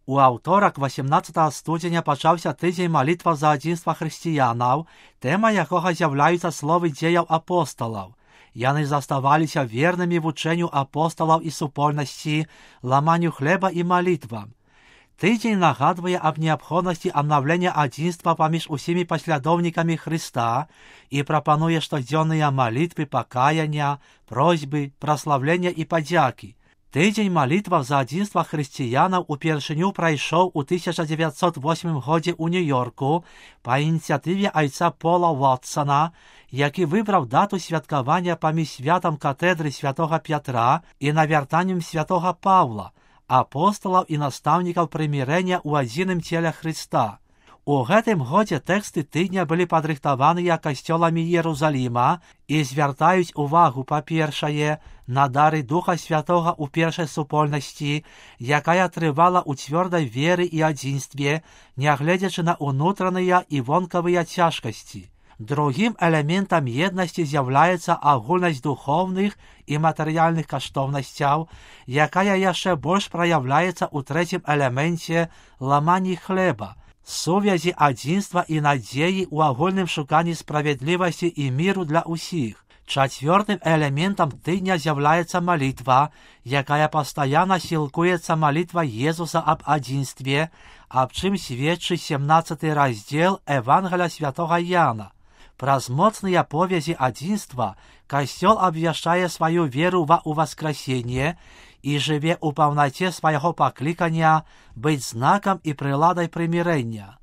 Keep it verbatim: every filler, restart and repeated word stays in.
У аўторак васемнаццатага студзеня пачаўся тыдзень малітва за адзінства хрысціянаў, тэма якога з'яўляюцца словы дзеяў апосталаў. Яны заставаліся вернымі вучэнню апосталаў і супольнасці, ламанню хлеба і малітвам. Тыдзень нагадвае аб неабходнасці абнаўлення адзінства паміж усімі паслядоўнікамі Хрыста і прапануе штодзённыя малітвы пакаяння, просьбы, праслаўлення і падзякі. Тыдзень малітваў за адзінства хрысціянаў упершыню прайшоў у тысяча дзевяцьсот восьмым годзе ў Нью-Йорку па ініцыятыве айца Пола Вотсана, які выбраў дату святкавання паміж святам катедры святога Пятра і навяртаннем святога Паўла, апосталаў і настаўнікаў прымірэння ў адзіным целе Хрыста. У гэтым годзе тэксты тыдня былі падрыхтаваныя касцёламі Іерусаліма і звяртаюць увагу, па-першае, на дары Духа Святога ў першай супольнасці, якая трывала ў цвёрдай веры і адзінстве, нягледзячы на ўнутраныя і вонкавыя цяжкасці. Другім элементам еднасці з'яўляецца агульнасць духоўных і матэрыяльных каштоўнасцяў, якая яшчэ больш праяўляецца ў трэцім элеменце ламанні хлеба, сувязі адзінства і надзеі ў агульным шуканні справядлівасці і міру для ўсіх. Чацвёртым элементам тыдня з'яўляецца малітва, якая пастаянна сілкуецца малітва Езуса аб адзінстве, аб чым сведчыць сямнаццаты раздзел Евангелія святога Яна. Праз моцныя повязі адзінства касцёл абвяшчае сваю веру ва ўваскрасенне і жыве ў паўнаце свайго паклікання быць знакам і прыладай прымірэння.